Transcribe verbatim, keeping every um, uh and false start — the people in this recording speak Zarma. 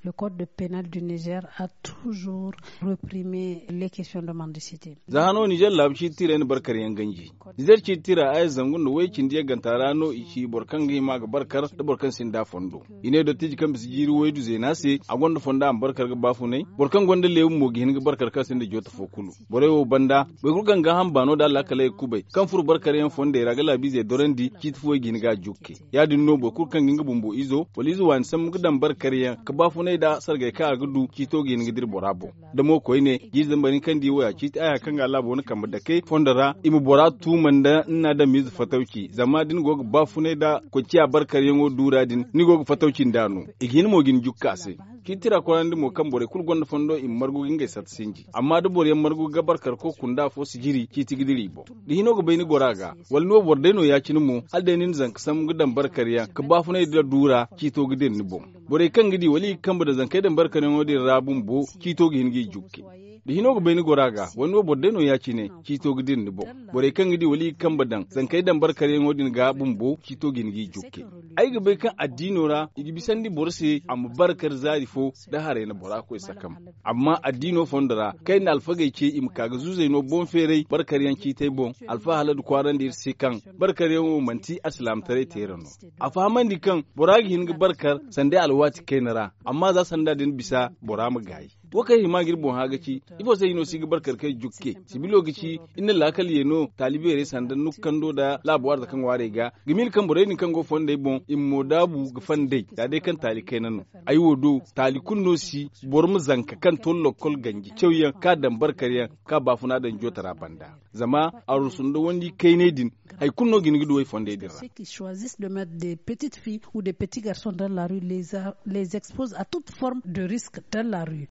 Le code de pénal du niger a toujours reprimé les questions de mendicité. Za hano nizer laabu ciiti tiray na barkar yaŋ ganji. Nizer ciiti tira aya zangu nda way cindi yagganta ra no i ci boro kaŋ ga hima ga barkar nda boro kaŋ sinda fondo. I ne dottiiji kaŋ bisa jiiri waydu zeena se a gonda fondo a ma barkar ga baafunay. Boro kaŋ gonda leebu mo ga hin ga barkar kaŋ sinda joota fo kulu. Borey wo banda boro kulu kaŋ ga hamba no da alaakaley ga kubay kaŋ furo barkar yaŋ fondey ra ga laabiizey dorandi ciiti fo i ga hin ga a jukke. Ya- din no boro kulu kaŋ ga nga bumbo izo wala ize waani sambu ga daŋ barkar yaŋ ga baafunay nda sargay kaŋ a ga du ciito ga hin ga dira bora boŋ. Da mo koyne jiiri zambar hinka nda i wo ya ciiti aya kaŋ ga a laabo na kambe dake fondo ra i ma bora tuuma nda ni na adamiize fatawci zama da ni go ga baafunay nda koy ciya barkar yaŋo duura din ni go ga fatawci nd'a no. I ga hin mo ga ni jukka a se. Ciiti tira korandi mo kaŋ borey kulu gonda fondo i ma margu ga ngey sata sinji amma da boro yaŋ margu ga barkar koy kunda afo si jiri ciiti ga dira i boŋ. Da hino ga bay ni goro a ga wala ni wo boro day no ya- cine mo hala day ni na zanka sambu ga daŋ barkar yaŋ ga baafunay nda duura ciito ga dira ni boŋ. Borey kaŋ ga di wala i ga kambe daŋ zankey daŋ barkar yaŋo din ra bumbo ciito ga hin ga i jukke. Da hino ga bay ni goro a ga wala ni wo boro day no ya- cine ciito ga dira ni boŋ. Borey kaŋ ga di wala i ga kambe daŋ zankey daŋ barkar yaŋo din ga bumbo ciito ga hin ga i jukke. Ay ga bay kaŋ addiino ra i ga bisandi boro se a ma barkar zaari fo da haray na bora koy sakam. Amma addiino fondo ra kaŋ ay na alfagey ce i ma ka ga zuuzey no boŋ feeray barkar yaŋ ciitey boŋ. Alfa haladu kwaarandi iri se kaŋ barkar yaŋo manti alsilaamataray teera no. A fahamandi kaŋ bora ga hin ga barkar sanda ay alwaati kayna ra amma za sanda din bisa bora ma gaayi. Wo kaŋ ay hima ga iri boŋ hã ga ci ifo se hino si ga barkar kay jukke? Sibilo ga ci iri na laakal ye no taali beerey sanda nukando nda laabu warza kaŋ ŋwaarey ga ga miila kaŋ borey din kaŋ go fondey boŋ i ma mo daabu ga fandey za day kaŋ taali kayna no. Ay wo do taali kulu no si boro ma zanka kaŋ to lokkol ganji cawyaŋ kaŋ a daŋ barkar yaŋ kaŋ a baafuna daŋ jootara banda. Zama arusu nda wandi kaynay din hari kulu no ga hin ga du ay fondey din ra. Ceux qui choisissent de mettre des petites filles ou des petits garçons dans la rue les expose à toute forme de risque dans la rue.